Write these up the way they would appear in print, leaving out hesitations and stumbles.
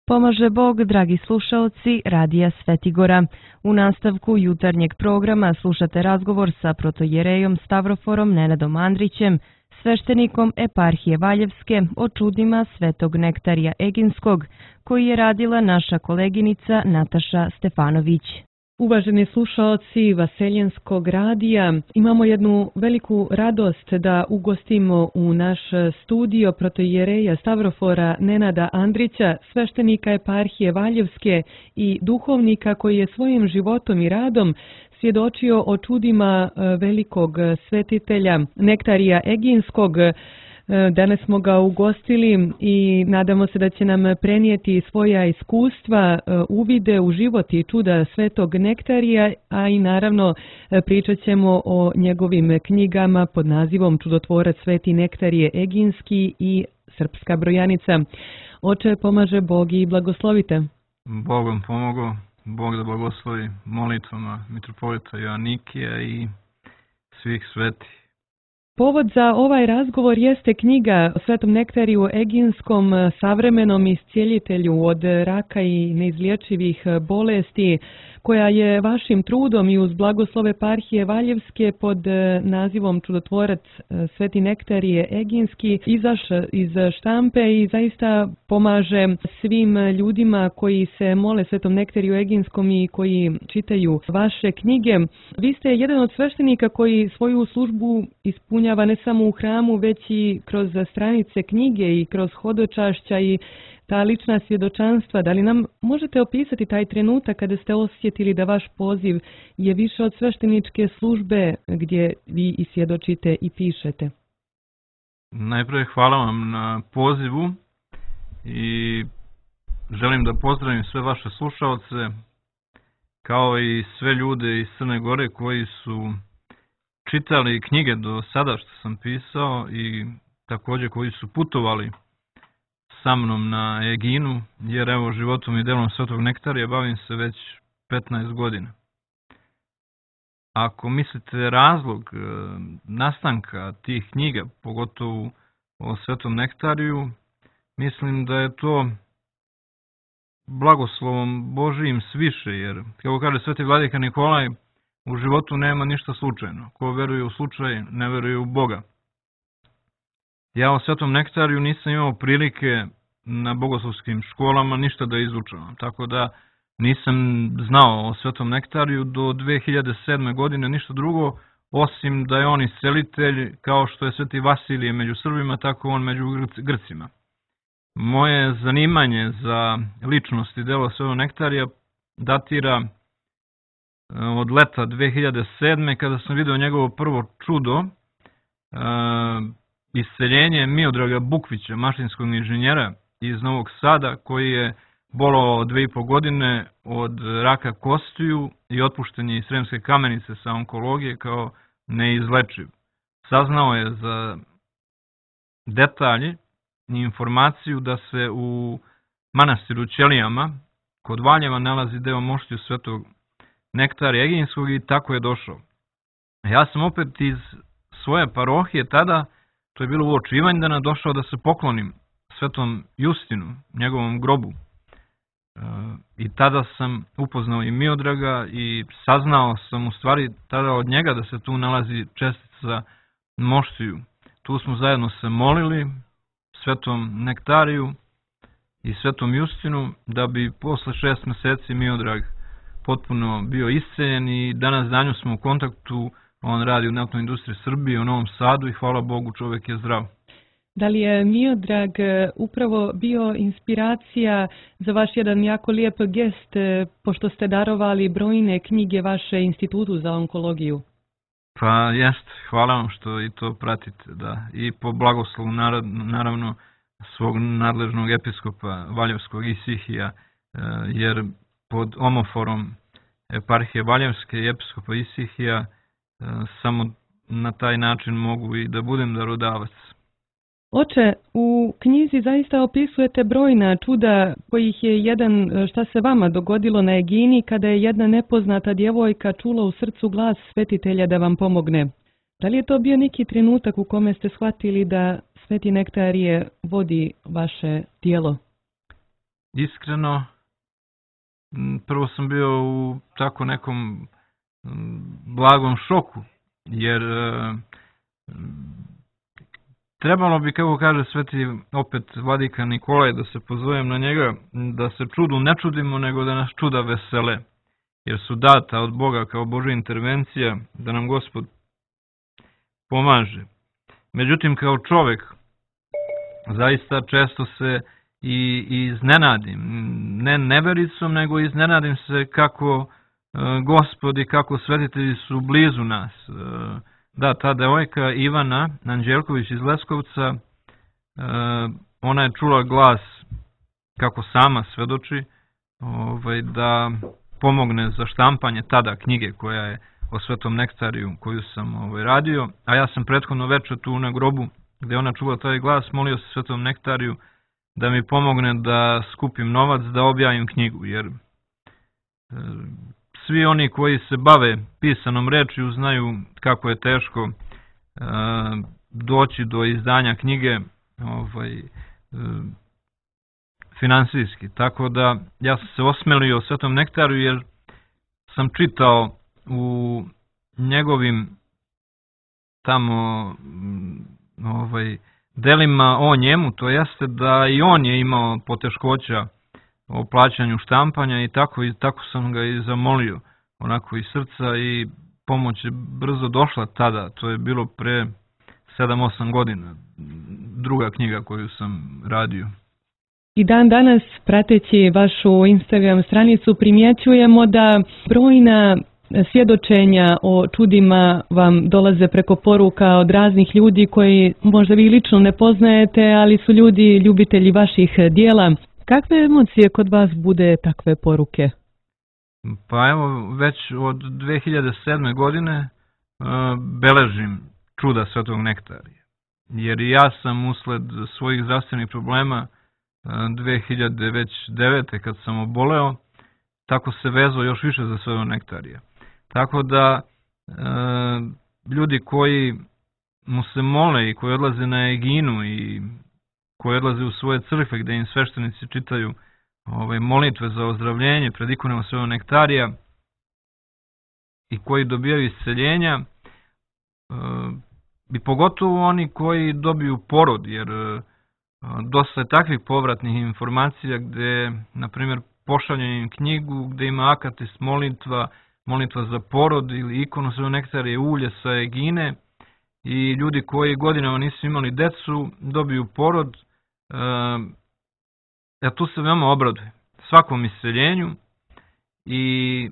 Pomaže Bog, dragi slušaoci Radija Svetigora. U nastavku jutarnjeg programa slušate razgovor sa protojerejom Stavroforom Nenadom Andrićem, sveštenikom eparhije Valjevske, o čudima svetog Nektarija Eginskog, koji je radila naša koleginica Nataša Stefanović. Uvaženi slušaoci Vaseljenskog radija, imamo jednu veliku radost da ugostimo u naš studio protojereja Stavrofora Nenada Andrića, sveštenika eparhije Valjevske i duhovnika koji je svojim životom i radom svjedočio o čudima velikog svetitelja Nektarija Eginskog. Danas smo ga ugostili i nadamo se da će nam prenijeti svoja iskustva, uvide u život i čuda svetog Nektarija, a i naravno pričat ćemo o njegovim knjigama pod nazivom Čudotvorac Sveti Nektarije Eginski i Srpska brojanica. Oče, pomaže Bog i blagoslovite. Bog vam pomogao, Bog da blagoslovi molitvama mitropolita Joanikija i svih svetih. Povod za ovaj razgovor jeste knjiga o svetom Nektariju Eginskom, savremenom iscijelitelju od raka i neizliječivih bolesti, koja je vašim trudom i uz blagoslov eparhije Valjevske pod nazivom Čudotvorac Sveti Nektarije Eginski izašla iz štampe i zaista pomaže svim ljudima koji se mole svetom Nektariju Eginskom i koji čitaju vaše knjige. Vi ste jedan od sveštenika koji svoju službu ispunjava ne samo u hramu, već i kroz stranice knjige i kroz hodočašća i ta lična svjedočanstva. Da li nam možete opisati taj trenutak kada ste osjetili da vaš poziv je više od svešteničke službe gdje vi i svjedočite i pišete? Najprije hvala vam na pozivu i želim da pozdravim sve vaše slušalce, kao i sve ljude iz Crne Gore koji su čitali knjige do sada što sam pisao i također koji su putovali sa mnom na Eginu, jer evo životom i delom svetog Nektarija bavim se već 15 godina. Ako mislite razlog nastanka tih knjiga, pogotovo o svetom Nektariju, mislim da je to blagoslovom Božijim sviše, jer kako kaže sveti vladika Nikolaj, u životu nema ništa slučajno. Ko veruje u slučaj, ne veruje u Boga. Ja o svetom Nektariju nisam imao prilike na bogoslovskim školama ništa da izučavam, tako da nisam znao o svetom Nektariju do 2007. godine ništa drugo, osim da je on iscelitelj, kao što je sveti Vasilije među Srbima, tako on među Grcima. Moje zanimanje za ličnost i delo svetog Nektarija datira od leta 2007. kada sam vidio njegovo prvo čudo, isceljenje Miodraga Bukvića, mašinskog inženjera iz Novog Sada, koji je bolovao 2,5 godine od raka kostiju i otpušten je iz Sremske Kamenice sa onkologije kao neizlečiv. Saznao je za detalje i informaciju da se u manastiru Ćelijama kod Valjeva nalazi deo moštiju svetog Nektarija Eginskog i tako je došao. Ja sam opet iz svoje parohije tada, to je bilo uoči Ivanjdana, došao da se poklonim svetom Justinu, njegovom grobu. I tada sam upoznao i Miodraga i saznao sam u stvari tada od njega da se tu nalazi čestica moštiju. Tu smo zajedno se molili svetom Nektariju i svetom Justinu da bi posle 6 meseci Miodrag potpuno bio isceljen i danas danju smo u kontaktu. On radi u naftnoj industriji Srbije u Novom Sadu i hvala Bogu čovjek je zdrav. Da li je Miodrag upravo bio inspiracija za vaš jedan jako lijep gest, pošto ste darovali brojne knjige vaše institutu za onkologiju? Pa jest, hvala vam što i to pratite, da. I po blagoslovu naravno svog nadležnog episkopa Valjevskog Isihija, jer pod omoforom eparhije Valjevske i episkopa Isihija samo na taj način mogu i da budem darodavac. Oče, u knjizi zaista opisujete brojna čuda kojih je jedan šta se vama dogodilo na Egini kada je jedna nepoznata djevojka čula u srcu glas svetitelja da vam pomogne. Da li je to bio neki trenutak u kome ste shvatili da Sveti Nektarije vodi vaše djelo? iskreno, prvo sam bio u tako nekom blagom šoku, jer trebalo bi, kako kaže sveti opet vladika Nikolaj, da se pozovem na njega, da se čudu ne čudimo, nego da nas čuda vesele, jer su data od Boga kao Božja intervencija da nam Gospod pomaže. Međutim, kao čovek, zaista često se i iznenadim, ne nevericom, nego iznenadim se kako Gospod i kako svetitelji su blizu nas. Da, ta devojka Ivana Anđelković iz Leskovca, ona je čula glas, kako sama svedoči, da pomogne za štampanje tada knjige koja je o Svetom nektariju koju sam radio, a ja sam prethodno večer tu na grobu gde ona čula taj glas, molio se Svetom nektariju da mi pomogne da skupim novac, da objavim knjigu, jer svi oni koji se bave pisanom rečju znaju kako je teško doći do izdanja knjige finansijski. Tako da ja sam se osmelio Svetom nektariju jer sam čitao u njegovim tamo delima o njemu, to jeste da i on je imao poteškoća o plaćanju štampanja i tako sam ga i zamolio, onako iz srca, i pomoć je brzo došla tada, to je bilo pre 7-8 godina, druga knjiga koju sam radio. I dan danas, prateći vašu Instagram stranicu, primjećujemo da brojna svjedočenja o čudima vam dolaze preko poruka od raznih ljudi koji možda vi lično ne poznajete, ali su ljudi ljubitelji vaših dijela. Kakve emocije kod vas bude takve poruke? Pa evo, već od 2007. godine beležim čuda Svetog nektarija. Jer i ja sam usled svojih zdravstvenih problema 2009. kad sam oboleo, tako se vezao još više za Svetog nektarija. Tako da ljudi koji mu se mole i koji odlaze na Eginu i koji odlaze u svoje crkve gde im sveštenici čitaju molitve za ozdravljenje pred ikonom Svetog nektarija i koji dobijaju isceljenja, i pogotovo oni koji dobiju porod, jer dosta je takvih povratnih informacija gde, na primjer, pošaljem im knjigu gde ima akatist molitva za porod ili ikonu Svetog nektarija, ulje sa Egine, i ljudi koji godinama nisu imali decu dobiju porod. Ja tu se veoma obradujem svakom isceljenju i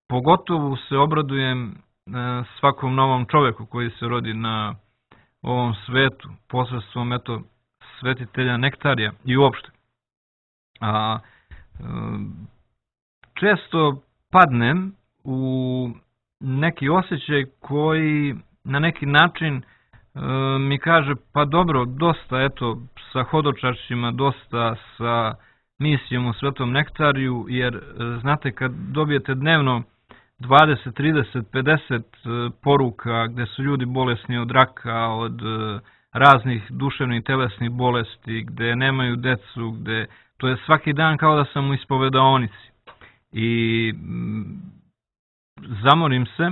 pogotovo se obradujem svakom novom čoveku koji se rodi na ovom svetu posredstvom svetitelja nektarija i uopšte. Često padnem u neki osjećaj koji na neki način mi kaže, pa dobro, dosta sa hodočašćima, dosta sa misijom u Svetom nektariju, jer znate, kad dobijete dnevno 20, 30, 50 poruka gde su ljudi bolesni od raka, od raznih duševnih i telesnih bolesti, gde nemaju decu, gde to je svaki dan kao da sam u ispovedaonici. I zamorim se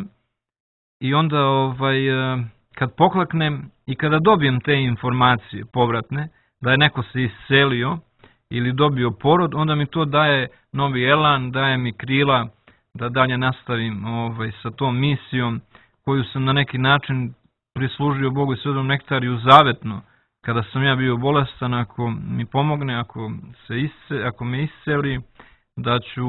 i onda kad pokleknem i kada dobijem te informacije povratne, da je neko se iscelio ili dobio porod, onda mi to daje novi elan, daje mi krila da dalje nastavim sa tom misijom koju sam na neki način prislužio Bogu i Svetom nektariju zavetno. Kada sam ja bio bolestan, ako mi pomogne, ako me isceli, da ću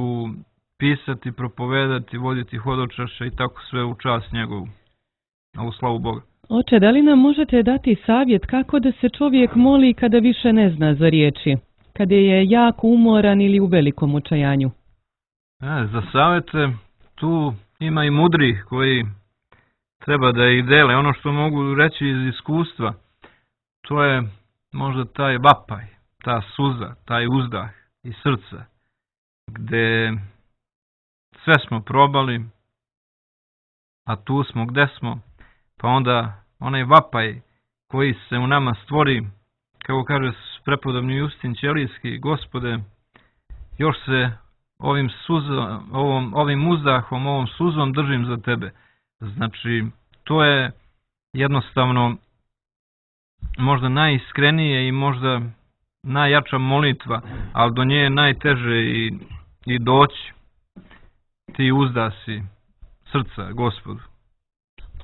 pisati, propovedati, voditi hodočašće i tako sve u čast njegovu. A u slavu Boga. Oče, da li nam možete dati savjet kako da se čovjek moli kada više ne zna za riječi? Kada je jako umoran ili u velikom očajanju? Za savjete tu ima i mudrih koji treba da ih dele. Ono što mogu reći iz iskustva, to je možda taj vapaj, ta suza, taj uzdah iz srca, gde sve smo probali, a tu smo gde smo, pa onda onaj vapaj koji se u nama stvori, kako kaže prepodobni Justin Ćelijski, Gospode, još se ovim uzdahom, ovom suzom držim za tebe. Znači, to je jednostavno možda najiskrenije i možda najjača molitva, ali do nje je najteže i doći. Ti uzdasi srca Gospodu.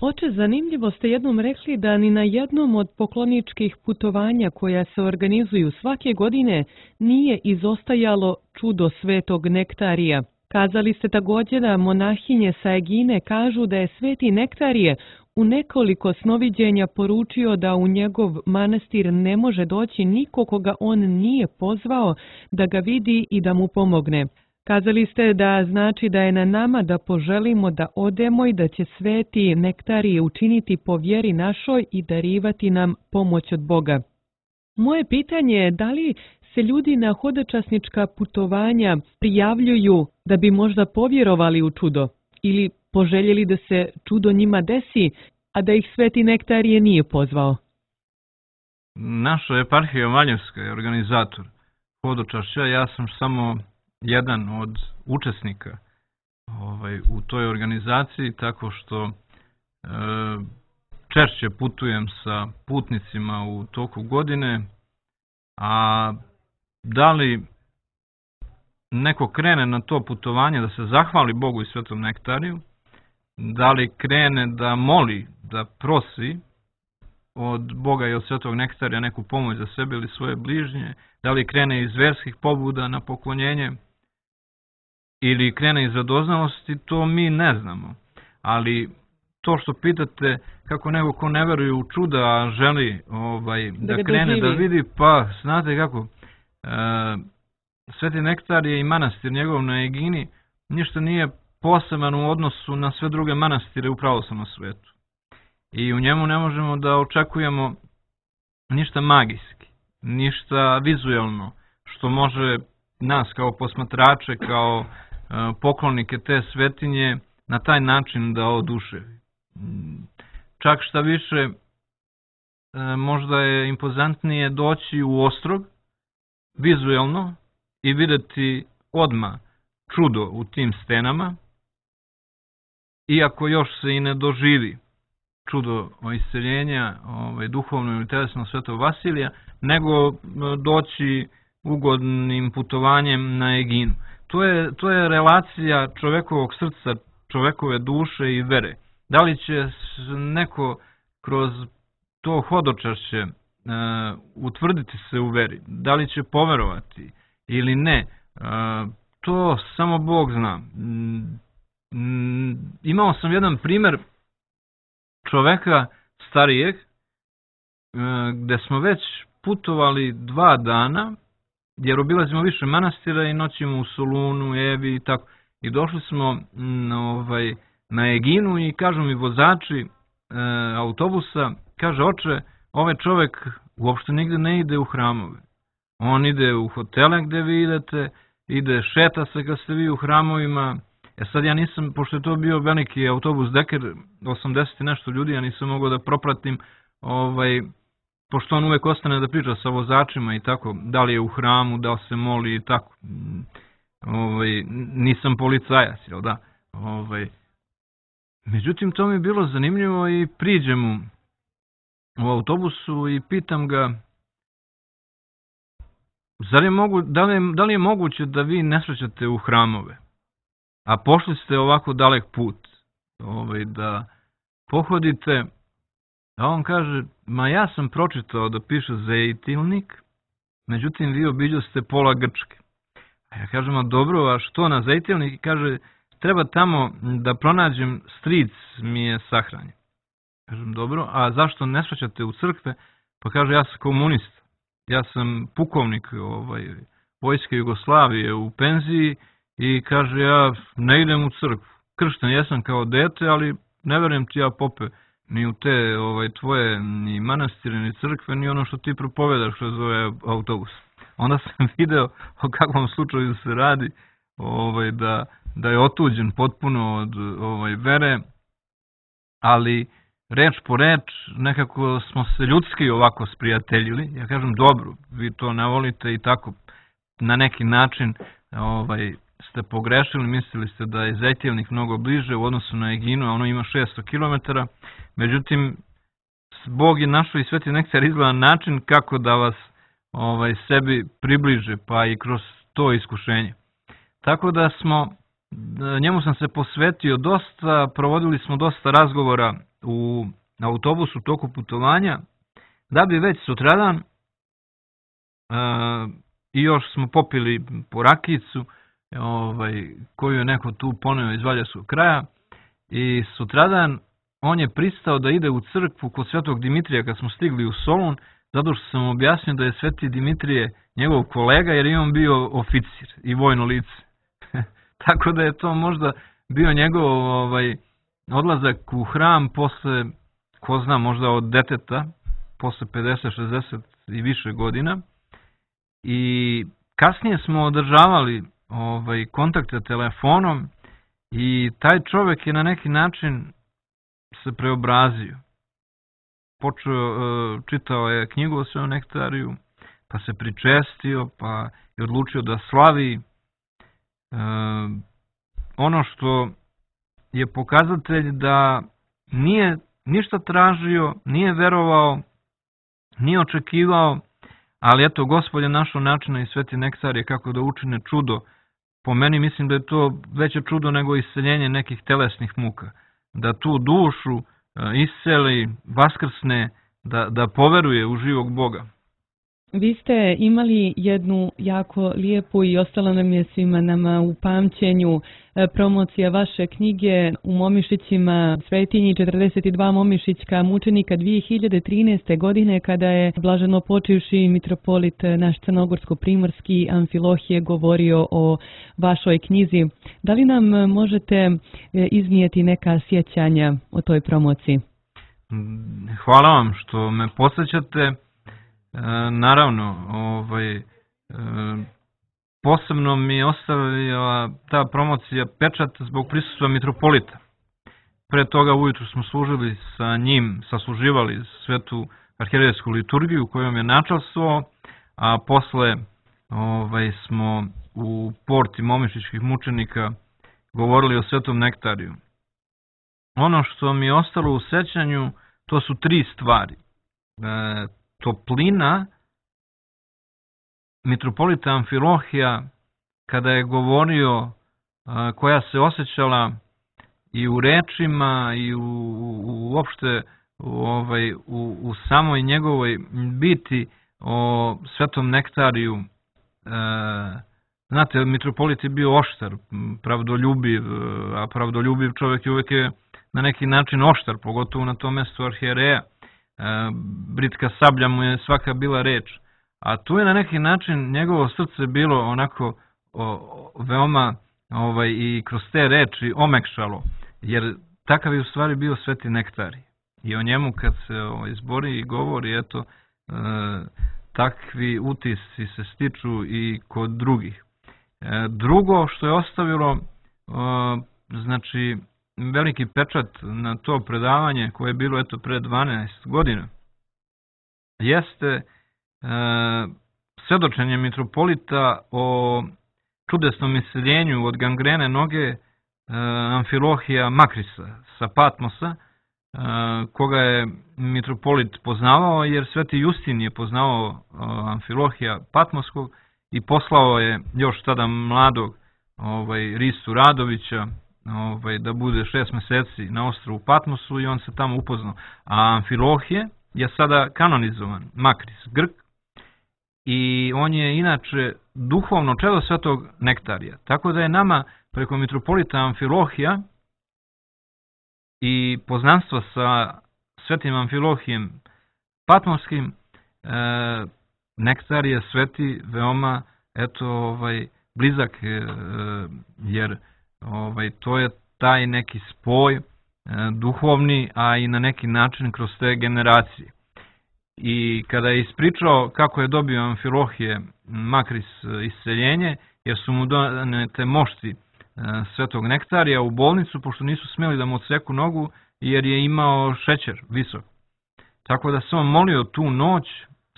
Oče, zanimljivo ste jednom rekli da ni na jednom od pokloničkih putovanja koja se organizuju svake godine nije izostajalo čudo svetog Nektarija. Kazali ste također da monahinje sa Egine kažu da je sveti Nektarije u nekoliko snoviđenja poručio da u njegov manastir ne može doći niko koga on nije pozvao da ga vidi i da mu pomogne. Kazali ste da znači da je na nama da poželimo da odemo i da će sveti Nektarije učiniti po vjeri našoj i darivati nam pomoć od Boga. Moje pitanje je da li se ljudi na hodočasnička putovanja prijavljuju da bi možda povjerovali u čudo ili poželjeli da se čudo njima desi, a da ih sveti Nektarije nije pozvao? Naša eparhija Valjevska je organizator hodočašća, ja sam samo jedan od učesnika u toj organizaciji, tako što češće putujem sa putnicima u toku godine, a da li neko krene na to putovanje da se zahvali Bogu i Svetom Nektariju, da li krene da moli, da prosi od Boga i od Svetog Nektarija neku pomoć za sebe ili svoje bližnje, da li krene iz verskih pobuda na poklonjenje ili krene iz radoznalosti, to mi ne znamo. Ali to što pitate kako neko ko ne veruje u čuda, a želi da krene da vidi, pa znate kako, Sveti Nektarije i manastir njegov na Egini ništa nije poseban u odnosu na sve druge manastire u pravoslavnom svetu. I u njemu ne možemo da očekujemo ništa magijski, ništa vizuelno, što može nas kao posmatrače, kao poklonike te svetinje na taj način da oduševi. Čak šta više, možda je impozantnije doći u Ostrog, vizuelno, i videti odmah čudo u tim stenama, iako još se i ne doživi čudo isceljenja duhovno ili telesno Svetog Vasilija, nego doći ugodnim putovanjem na Eginu. To je relacija čovekovog srca, čovekove duše i vere. Da li će neko kroz to hodočašće utvrditi se u veri, da li će poverovati ili ne, to samo Bog zna. Imao sam jedan primer čoveka starijeg, gde smo već putovali 2 dana, jer obilazimo više manastira i noćimo u Solunu, Evi i tako. I došli smo na Eginu i kažu mi vozači autobusa, kaže, oče, ovaj čovek uopšte nigde ne ide u hramove. On ide u hotele gde vi idete, ide, šeta se kad ste vi u hramovima. Sad ja nisam, pošto je to bio veliki autobus Deker, 80 i nešto ljudi, ja nisam mogao da propratim, pošto on uvek ostane da priča sa vozačima i tako, da li je u hramu, da li se moli i tako. Nisam policajac, jel da? Međutim, to mi je bilo zanimljivo i priđem mu u autobusu i pitam ga, da li je moguće da vi ne srećate u hramove, a pošli ste ovako dalek put da pohodite? A on kaže, ma ja sam pročitao da piše Zejtilnik, međutim vi obiđo ste pola Grčke. A ja kažem, a dobro, a što na Zejtilnik? I kaže, treba tamo da pronađem, stric mi je sahranjen. Kažem, dobro, a zašto ne srećate u crkve? Pa kaže, ja sam komunista. Ja sam pukovnik Vojske Jugoslavije u penziji i kaže, ja ne idem u crkvu. Kršten jesam kao dete, ali ne verujem ti ja, pope, ni u te tvoje ni manastire, ni crkve, ni ono što ti propovedaš kroz ovaj autobus. Onda sam video o kakvom slučaju se radi, da je otuđen potpuno od vere, ali reč po reč, nekako smo se ljudski ovako sprijateljili. Ja kažem, dobro, vi to ne volite i tako na neki način ste pogrešili, mislili ste da je Zejtilnik mnogo bliže u odnosu na Eginu, a ono ima 600 km. Međutim, Bog je našao i Sveti Nektar izgleda način kako da vas sebi približe, pa i kroz to iskušenje. Tako da njemu sam se posvetio dosta, provodili smo dosta razgovora u autobusu u toku putovanja, da bi već sutradan i još smo popili po rakijicu koju je neko tu poneo iz Valjevskog kraja i sutradan on je pristao da ide u crkvu kod Svetog Dimitrija kad smo stigli u Solun, zato što sam mu objasnio da je Sveti Dimitrije njegov kolega jer je on bio oficir i vojno lice. Tako da je to možda bio njegov odlazak u hram posle, ko zna, možda od deteta, posle 50, 60 i više godina. I kasnije smo održavali kontakte telefonom i taj čovjek je na neki način se preobrazio. Čitao je knjigu o Svetom nektariju, pa se pričestio, pa je odlučio da slavi. Ono što je pokazatelj da nije ništa tražio, nije verovao, nije očekivao, ali eto, Gospod je našao načina i Sveti Nektar je kako da učine čudo. Po meni mislim da je to veće čudo nego isceljenje nekih telesnih muka. Da tu dušu isceli, vaskrsne, da poveruje u živog Boga. Vi ste imali jednu jako lijepu i ostala nam je svima nama u pamćenju promocija vaše knjige u Momišićima, Svetinji 42 momišićka mučenika 2013. godine kada je blaženo počivši mitropolit naš crnogorsko-primorski Amfilohije govorio o vašoj knjizi. Da li nam možete iznijeti neka sjećanja o toj promociji? Hvala vam što me podsjećate. Naravno, posebno mi je ostavila ta promocija pečat zbog prisustva mitropolita. Pre toga ujutru smo služili sa njim, sasluživali svetu arhijerejsku liturgiju kojom je načastvovao, a posle smo u porti momišićkih mučenika govorili o Svetom Nektariju. Ono što mi je ostalo u sećanju, to su 3 stvari. Toplina mitropolita Amfilohija kada je govorio, koja se osjećala i u rečima i uopšte u samoj njegovoj biti o Svetom Nektariju. Znate, mitropolit je bio oštar, pravdoljubiv, a pravdoljubiv čovjek uvijek je na neki način oštar, pogotovo na tom mjestu arhijereja. Britka sablja mu je svaka bila reč. A tu je na neki način njegovo srce bilo onako veoma i kroz te reči omekšalo, jer takav je u stvari bio Sveti Nektarij. I o njemu kad se izbori i govori, eto, takvi utisci se stiču i kod drugih. Drugo što je ostavilo, znači, veliki pečat na to predavanje koje je bilo eto pre 12 godina, jeste svedočenje mitropolita o čudesnom isceljenju od gangrene noge Amfilohija Makrisa sa Patmosa, koga je mitropolit poznavao, jer Sveti Justin je poznavao Amfilohija Patmoskog i poslao je još tada mladog Ristu Radovića da bude 6 meseci na ostrvu Patmosu i on se tamo upoznao. A Amfilohije je sada kanonizovan, Makris, Grk, i on je inače duhovno čedo Svetog Nektarija. Tako da je nama preko mitropolita Amfilohija i poznanstva sa Svetim Amfilohijem Patmoskim, Nektar je sveti veoma blizak, jer to je taj neki spoj duhovni, a i na neki način kroz te generacije. I kada je ispričao kako je dobio Amfilohije Makris isceljenje, jer su mu donete mošti Svetog Nektarija u bolnicu, pošto nisu smjeli da mu odseku nogu, jer je imao šećer visok. Tako da se on molio tu noć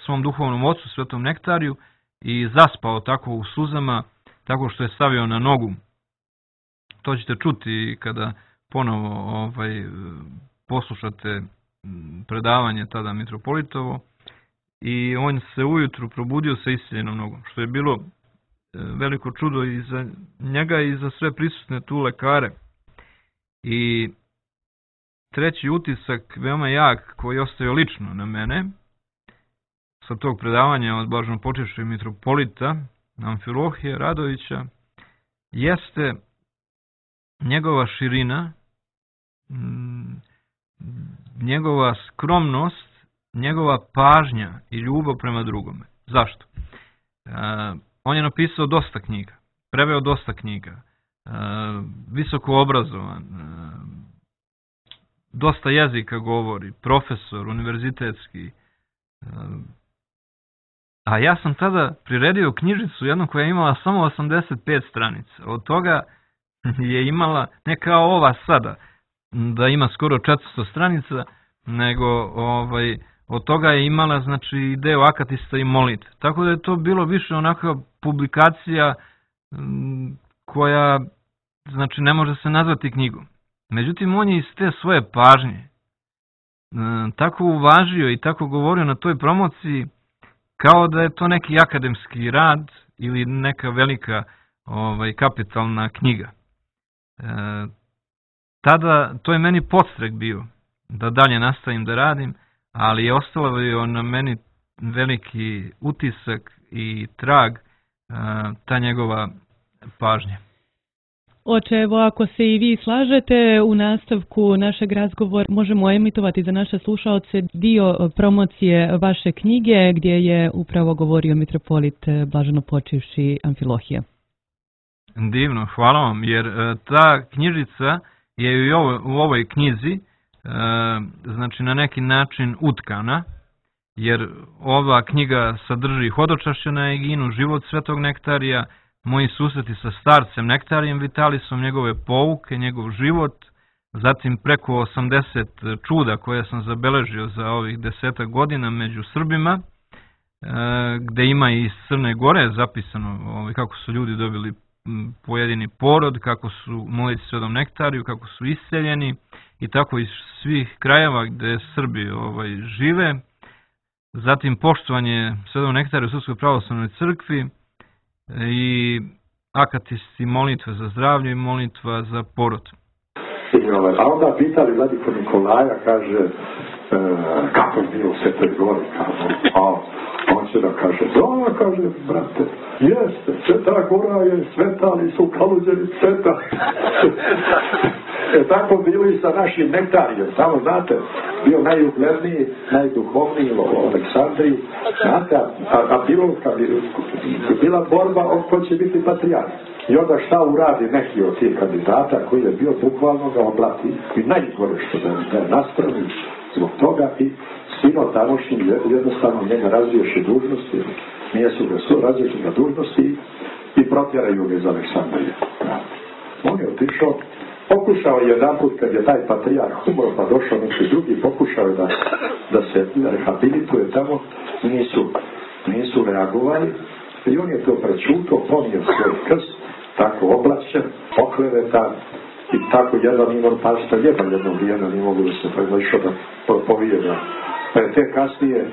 svom duhovnom ocu Svetom Nektariju i zaspao tako u suzama, tako što je stavio na nogu. To ćete čuti kada ponovo poslušate predavanje tada mitropolitovo. I on se ujutru probudio sa isceljenom nogom, što je bilo veliko čudo i za njega i za sve prisutne tu lekare. I treći utisak, veoma jak, koji je ostavio lično na mene, sa tog predavanja od blaženopočivšeg mitropolita Amfilohija Radovića, jeste njegova širina, njegova skromnost, njegova pažnja i ljubav prema drugome. Zašto? On je napisao dosta knjiga, preveo dosta knjiga, visoko obrazovan, dosta jezika govori, profesor, univerzitetski. A ja sam tada priredio knjižicu jednu koja je imala samo 85 stranica. Od toga je imala, ne kao ova sada, da ima skoro 400 stranica, nego od toga je imala, znači, deo akatista i molitve. Tako da je to bilo više onakva publikacija koja, znači, ne može se nazvati knjigom. Međutim, on je iz te svoje pažnje tako uvažio i tako govorio na toj promociji kao da je to neki akademski rad ili neka velika kapitalna knjiga. Tada to je meni podstrek bio da dalje nastavim da radim, ali je ostalo na meni veliki utisak i trag ta njegova pažnja. Oče, evo, ako se i vi slažete, u nastavku našeg razgovora možemo emitovati za naše slušaoce dio promocije vaše knjige gdje je upravo govorio mitropolit blaženopočivši Amfilohije. Divno, hvala vam, jer ta knjižica je i u ovoj knjizi, znači na neki način utkana, jer ova knjiga sadrži hodočašće na Eginu, život svetog Nektarija, moji susreti sa starcem Nektarijem Vitalisom, njegove pouke, njegov život, zatim preko 80 čuda koje sam zabeležio za ovih 10 godina među Srbima, gde ima i iz Crne Gore zapisano kako su ljudi dobili pojedini porod, kako su molili svetom Nektariju, kako su isceljeni i tako iz svih krajeva gde Srbi žive. Zatim poštovanje svetom Nektariju u Srpskoj pravoslavnoj crkvi i akatisti molitve za zdravlje i molitva za porod. A onda pitali Vladiko Nikolaja, kaže, kako je bilo u Svetoj Gori, a on će da kaže, da, kaže, brate, jeste, Sveta Gora je sveta, ali su kaluđeni sveta. Tako bilo i sa našim Nektarijem, samo znate, bio najugledniji, najduhovniji u Aleksandriji, znate, a bila borba ko će biti patrijarh. I onda šta uradi neki od tih kandidata koji je bio bukvalno ga oblati i najgore što da je nastrani zbog toga i sino tamošnji jednostavno njega razriješi dužnosti, nije su ga razriješi na dužnosti i protjeraju ga iz Aleksandrije. On je otišao, pokušao jedan put kad je taj patrijarh umro pa došao neki drugi, pokušao je da se rehabilituje tamo, nisu reagovali i on je to prečuto, ponio svoj krst, tako oblačen, oklevetan i tako jedan imao pasta jedno vrijeme nije mogu da se išao da propovijeda. Pa je te kasnije,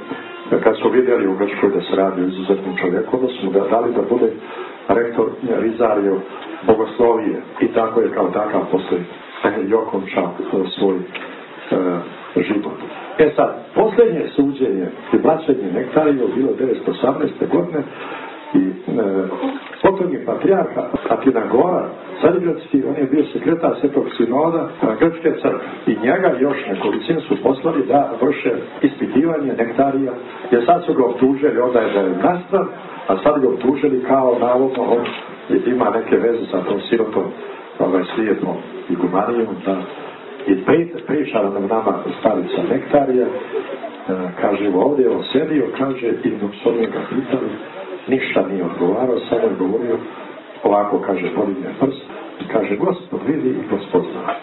kad su vidjeli u Grčkoj da se radi o izuzetnim čovjekom, da smo ga dali da bude rektor Rizario bogoslovije i tako je kao takav posle i okončao svoj život. Sad, posljednje suđenje i blaćenje Nektarije bilo 1918. godine i potom je patrijarha Atinagora, Carigradski, on je bio sekretar Svetog sinoda Grčke crkve i njega još nekolicin su poslali da vrše ispitivanje Nektarija, jer sad su ga optužili, onda je da je nastran, a sad ga optužili kao navodno on ima neke veze sa tom sirotom slijednom igumanijom i priča nam nama starica Nektarija, kaže ovdje on sedio, kaže i dok su oni ga pitali, ništa nije odgovarao, samo je govorio ovako, kaže, podigne prst i kaže, Gospod vidi i Gospod zna.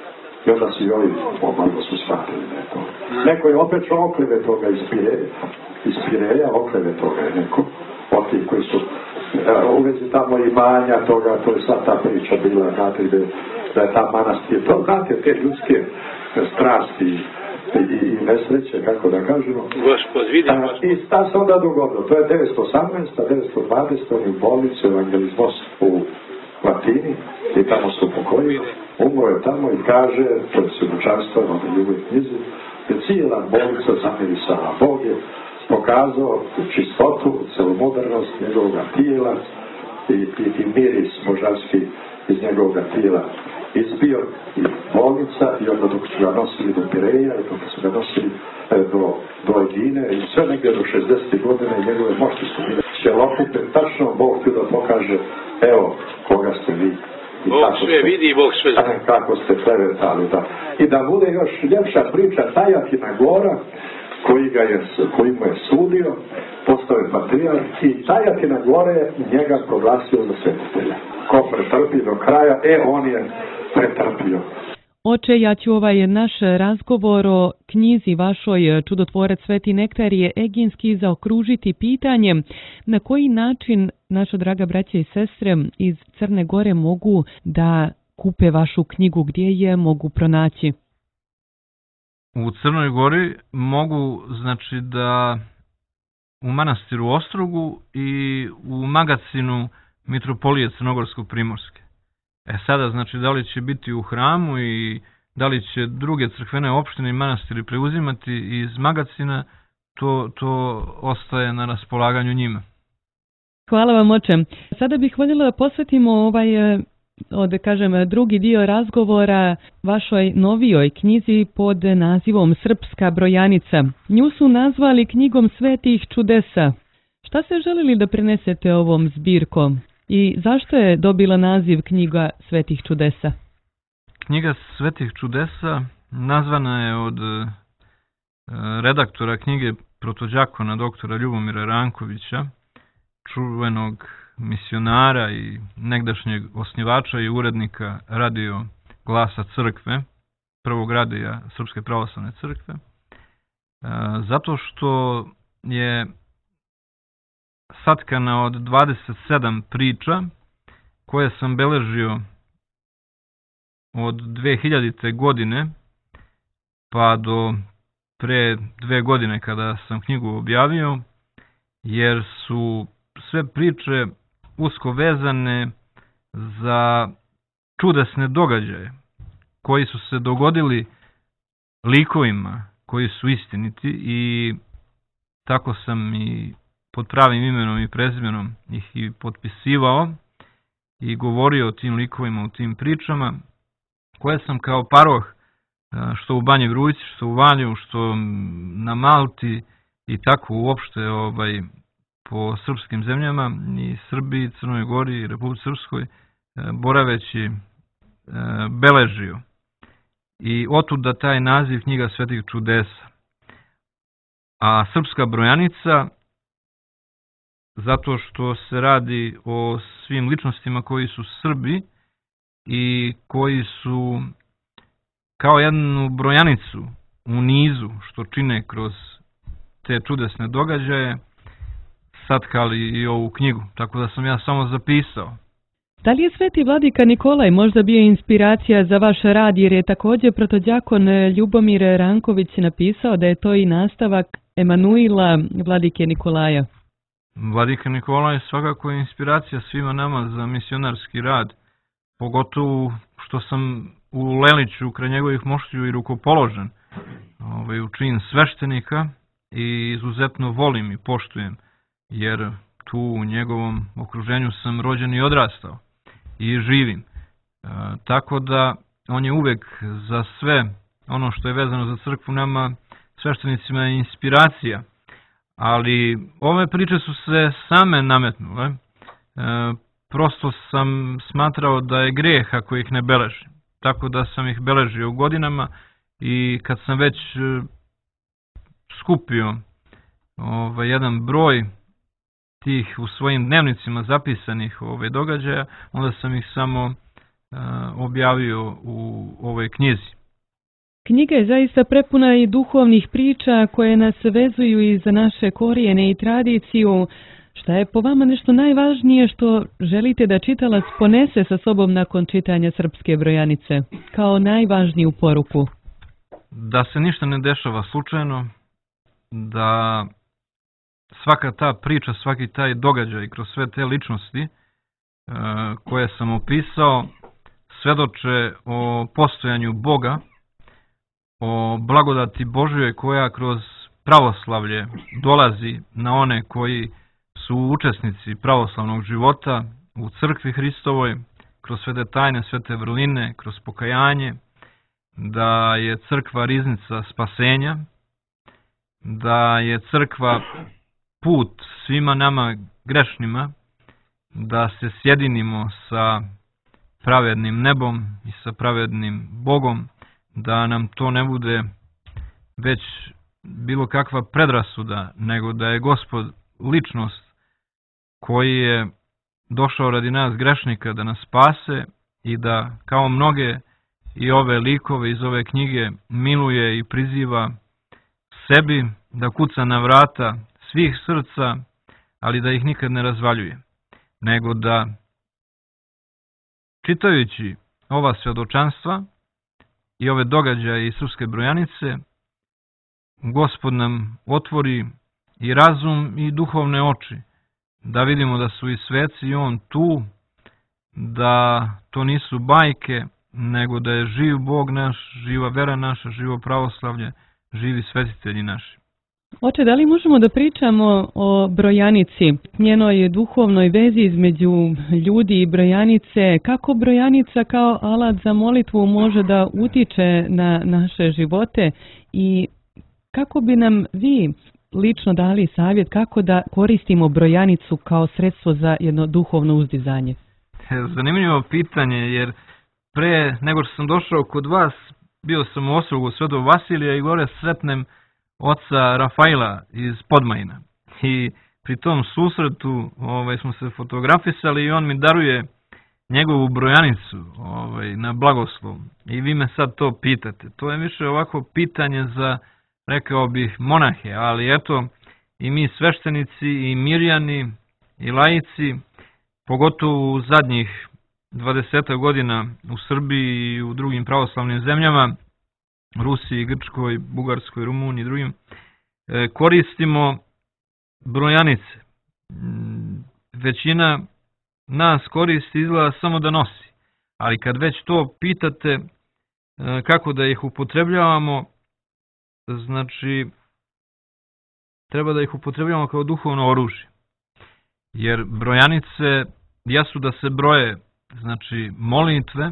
I onda su i ovi malo su shvatili da je to. Neko je opet okleve toga iz Pireja, okleve toga je neko, od tih koji su u vezi tamo imanja toga, to je sva ta priča bila, znate, da je ta manastir, to znate te ljudske strasti i nesreće, kako da kažemo. I šta se onda dogodilo? To je 918. 920. oni u bolnicu Evangelizmos u Latini i tamo su pokojili. Umro je tamo i kaže, to je svjedočanstvo na ljuboj knjizi, da cijela bolnica zamirisala. Bog je pokazao čistotu, celomodernost njegovoga tijela i miris moždanski iz njegovoga tijela izbio i bolnica i onda dok su ga nosili do Pireja i dok su ga nosili do Egine i sve negdje do 60. godine njegove mošti su bile ćelokute, tačno Bog htio da pokaže, evo koga ste vi. I Bog sve vidi i Bog sve zna. Kako ste klevetali, da. I da bude još ljepša priča, Tajakina Gora, koji mu je sudio, postao je patrijarh i Tajakina Gora je njega proglasio za svetitelja. Ko pretrpi do kraja, on je pretrpio. Oče, ja ću ovaj naš razgovor o knjizi vašoj Čudotvorac Sveti Nektarije Eginski zaokružiti pitanjem na koji način naša draga braća i sestre iz Crne Gore mogu da kupe vašu knjigu, gdje je mogu pronaći? U Crnoj Gori mogu, znači, da u manastiru Ostrogu i u magacinu Mitropolije Crnogorsko-Primorske. Sada, znači, da li će biti u hramu i da li će druge crkvene opštine i manastiri preuzimati iz magacina, to ostaje na raspolaganju njima. Hvala vam, oče. Sada bih voljela da posvetimo drugi dio razgovora vašoj novijoj knjizi pod nazivom Srpska brojanica. Nju su nazvali knjigom svetih čudesa. Šta ste želili da prenesete ovom zbirkom i zašto je dobila naziv knjiga svetih čudesa? Knjiga svetih čudesa nazvana je od redaktora knjige protođakona doktora Ljubomira Rankovića, čuvenog misionara i negdašnjeg osnivača i urednika radio Glasa crkve, prvog radija Srpske pravoslavne crkve, zato što je satkana od 27 priča koje sam beležio od 2000. godine pa do pre 2 godine kada sam knjigu objavio, jer su sve priče usko vezane za čudesne događaje koji su se dogodili likovima koji su istiniti i tako sam i pod pravim imenom i prezimenom ih i potpisivao i govorio o tim likovima, o tim pričama koje sam kao paroh što u Banji Vrujci, što u Valjevu, što na Malti i tako uopšte po srpskim zemljama i Srbiji, Crnoj Gori i Republici Srpskoj boraveći beležio. I otuda taj naziv knjiga svetih čudesa. A Srpska brojanica zato što se radi o svim ličnostima koji su Srbi i koji su kao jednu brojanicu u nizu što čine kroz te čudesne događaje satkali i ovu knjigu, tako da sam ja samo zapisao. Da li je sveti vladika Nikolaj možda bio inspiracija za vaš rad, jer je također protođakon Ljubomir Ranković napisao da je to i nastavak Emanuila vladike Nikolaja? Vladika Nikolaj svakako je inspiracija svima nama za misionarski rad, pogotovo što sam u Leliću kraj njegovih moštiju i rukopoložen u čin sveštenika i izuzetno volim i poštujem, jer tu u njegovom okruženju sam rođen i odrastao i živim. Tako da on je uvek za sve ono što je vezano za crkvu nama sveštenicima je inspiracija, ali ove priče su se same nametnule. Prosto sam smatrao da je greh ako ih ne beležim, tako da sam ih beležio godinama i kad sam već skupio jedan broj tih u svojim dnevnicima zapisanih događaja, onda sam ih samo objavio u ovoj knjizi. Knjiga je zaista prepuna i duhovnih priča koje nas vezuju i za naše korijene i tradiciju. Šta je po vama nešto najvažnije što želite da čitalac ponese sa sobom nakon čitanja Srpske brojanice, kao najvažniju poruku? Da se ništa ne dešava slučajno, da svaka ta priča, svaki taj događaj kroz sve te ličnosti koje sam opisao, svedoče o postojanju Boga, o blagodati Božjoj koja kroz pravoslavlje dolazi na one koji su učesnici pravoslavnog života u crkvi Hristovoj, kroz sve te tajne, sve te vrline, kroz pokajanje, da je crkva riznica spasenja, da je crkva put svima nama grešnima, da se sjedinimo sa pravednim nebom i sa pravednim Bogom, da nam to ne bude već bilo kakva predrasuda, nego da je Gospod ličnost koji je došao radi nas grešnika da nas spase i da kao mnoge i ove likove iz ove knjige miluje i priziva sebi, da kuca na vrata svih srca, ali da ih nikad ne razvaljuje, nego da čitajući ova svedočanstva i ove događaje iz Srpske brojanice, Gospod nam otvori i razum i duhovne oči, da vidimo da su i sveci i on tu, da to nisu bajke, nego da je živ Bog naš, živa vera naša, živo pravoslavlje, živi svetitelji naši. Oče, da li možemo da pričamo o brojanici, njenoj duhovnoj vezi između ljudi i brojanice, kako brojanica kao alat za molitvu može da utiče na naše živote i kako bi nam vi lično dali savjet kako da koristimo brojanicu kao sredstvo za jedno duhovno uzdizanje? Zanimljivo pitanje, jer pre nego što sam došao kod vas, bio sam u Ostrogu Svetog Vasilija i gore sretnem oca Rafaila iz Podmajina. I pri tom susretu smo se fotografisali i on mi daruje njegovu brojanicu na blagoslov. I vi me sad to pitate. To je više ovako pitanje za, rekao bih, monahe, ali eto i mi sveštenici i mirjani i laici, pogotovo u zadnjih 20 godina u Srbiji i u drugim pravoslavnim zemljama, Rusiji, Grčkoj, Bugarskoj, Rumuniji i drugim, koristimo brojanice. Većina nas koristi izgleda samo da nosi, ali kad već to pitate kako da ih upotrebljavamo, znači treba da ih upotrebljavamo kao duhovno oružje. Jer brojanice jesu da se broje, znači molitve,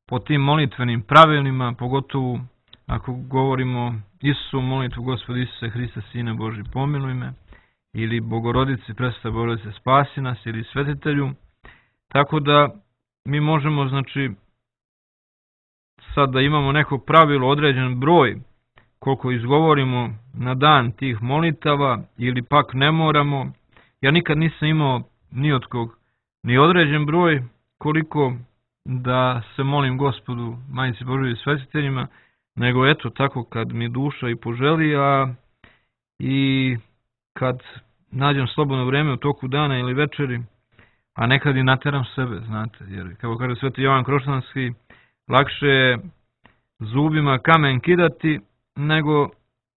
po tim molitvenim pravilima, pogotovo ako govorimo Isusu molitvu Gospodi Isuse Hriste, Sine Božji, pomiluj me, ili Bogorodici, Presveta Bogorodice, spasi nas, ili Svetitelju. Tako da mi možemo, znači, sad da imamo neko pravilo, određen broj, koliko izgovorimo na dan tih molitava, ili pak ne moramo. Ja nikad nisam imao ni od kog ni određen broj, koliko da se molim Gospodu, Majici Božoj i svetiteljima, nego eto tako kad mi duša i poželi, a i kad nađem slobodno vreme u toku dana ili večeri, a nekad i nateram sebe, znate, jer kako kaže Sveti Jovan Kroštanski, lakše je zubima kamen kidati nego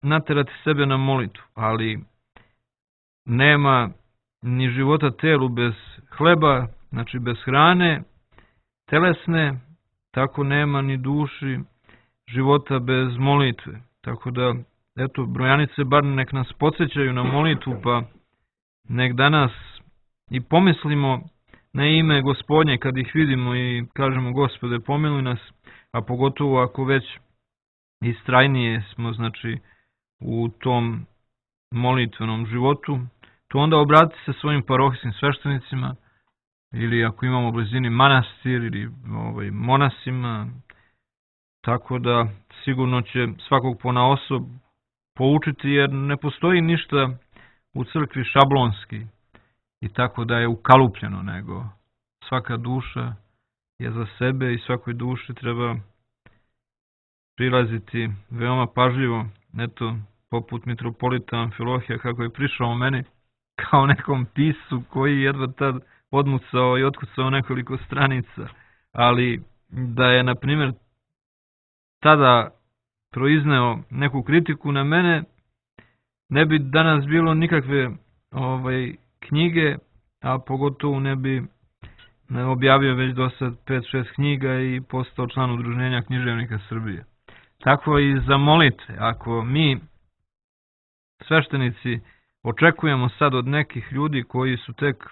naterati sebe na molitvu, ali nema ni života telu bez hleba, znači bez hrane telesne, tako nema ni duši života bez molitve. Tako da, eto, brojanice bar nek nas podsjećaju na molitvu, pa nek danas i pomislimo na ime Gospodnje kad ih vidimo i kažemo Gospode pomiluj nas, a pogotovo ako već istrajnije smo, znači, u tom molitvenom životu, to onda obratite se svojim parohijskim sveštenicima, ili ako imamo u blizini manastir ili monasima, tako da sigurno će svakog ponaosob poučiti, jer ne postoji ništa u crkvi šablonski i tako da je ukalupljeno, nego svaka duša je za sebe i svakoj duši treba prilaziti veoma pažljivo. Eto, poput mitropolita Amfilohija, kako je prišao meni kao nekom piscu koji jedva tad odmucao i otkucao nekoliko stranica, ali da je, na primjer, tada proizneo neku kritiku na mene, ne bi danas bilo nikakve knjige, a pogotovo ne bi objavio već do sad 5-6 knjiga i postao član Udruženja književnika Srbije. Tako i za molitve. Ako mi, sveštenici, očekujemo sad od nekih ljudi koji su tek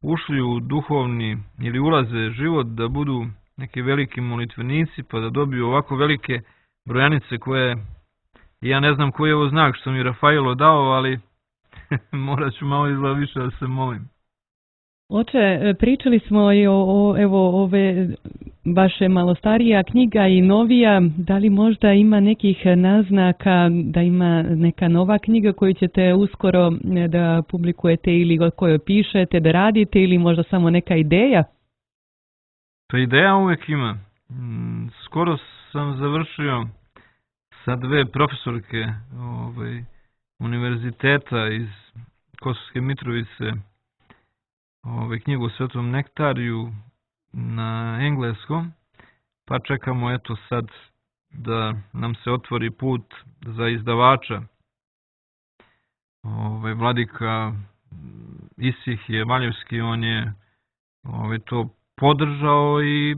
ušli u duhovni ili ulaze život da budu neki veliki molitvenici pa da dobiju ovako velike brojanice koje, ja ne znam koji je ovo znak što mi Rafailo dao, ali morat ću malo izgleda više da se molim. Oče, pričali smo i evo ove vaše malo starija knjiga i novija, da li možda ima nekih naznaka da ima neka nova knjiga koju ćete uskoro da publikujete ili koju pišete, da radite ili možda samo neka ideja? Pa ideja uvek ima. Skoro sam završio sa 2 profesorke univerziteta iz Kosovske Mitrovice knjigu o Svetom nektariju na engleskom, pa čekamo eto sad da nam se otvori put za izdavača. Vladika Isihije Valjevski, on je to podržao i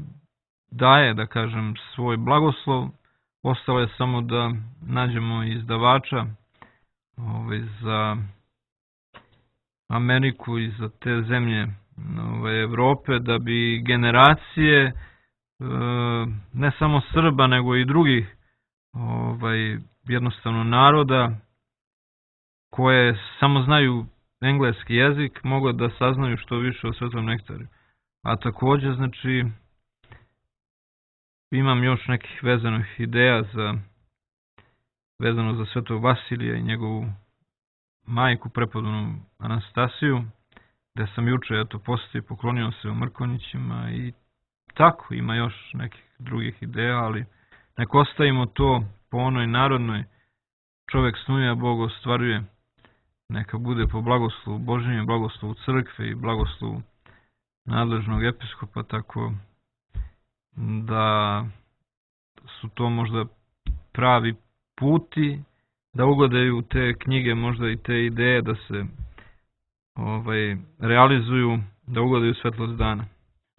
daje, da kažem, svoj blagoslov. Ostalo je samo da nađemo izdavača za Ameriku i za te zemlje Evrope, da bi generacije ne samo Srba nego i drugih jednostavno naroda koje samo znaju engleski jezik mogu da saznaju što više o Svetom nektariju. A također, znači, imam još nekih vezanih ideja vezano za Svetog Vasilija i njegovu majku, prepodobnu Anastasiju, gde sam juče postao i poklonio se u Mrkonjićima i tako ima još nekih drugih ideja, ali nek ostavimo to po onoj narodnoj, čovek snuje, a Bog ostvaruje. Neka bude po blagoslovu Božjem, blagoslovu crkve i blagoslovu nadležnog episkopa, tako da su to možda pravi puti da ugodaju te knjige, možda i te ideje da se realizuju, da ugodaju svetlost dana.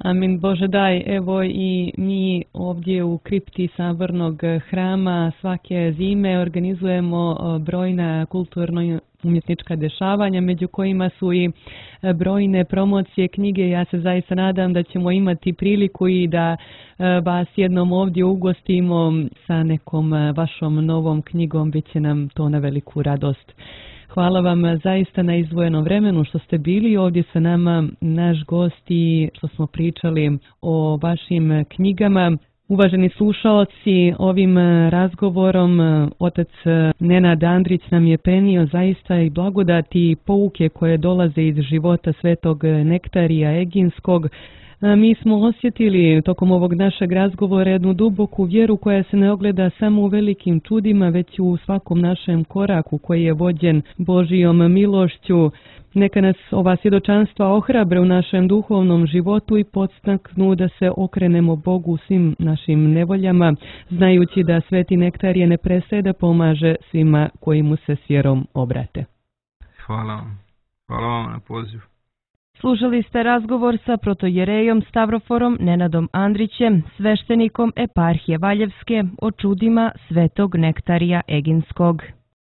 Amin, Bože daj, evo i mi ovdje u kripti Sabornog hrama svake zime organizujemo brojna kulturno-umjetnička dešavanja, među kojima su i brojne promocije knjige. Ja se zaista nadam da ćemo imati priliku i da vas jednom ovdje ugostimo sa nekom vašom novom knjigom, bit će nam to na veliku radost. Hvala vam zaista na izdvojenom vremenu što ste bili ovdje sa nama, naš gost, i što smo pričali o vašim knjigama. Uvaženi slušaoci, ovim razgovorom otac Nenad Andrić nam je prenio zaista i blagodati i pouke koje dolaze iz života Svetog Nektarija Eginskog. Mi smo osjetili tokom ovog našeg razgovora jednu duboku vjeru koja se ne ogleda samo u velikim čudima, već u svakom našem koraku koji je vođen Božijom milošću. Neka nas ova svjedočanstva ohrabre u našem duhovnom životu i podstaknu da se okrenemo Bogu u svim našim nevoljama, znajući da Sveti Nektarije ne prestaje da pomaže svima koji mu se s vjerom obrate. Hvala vam. Hvala vam na pozivu. Slušali ste razgovor sa protojerejom Stavroforom Nenadom Andrićem, sveštenikom eparhije Valjevske, o čudima Svetog Nektarija Eginskog.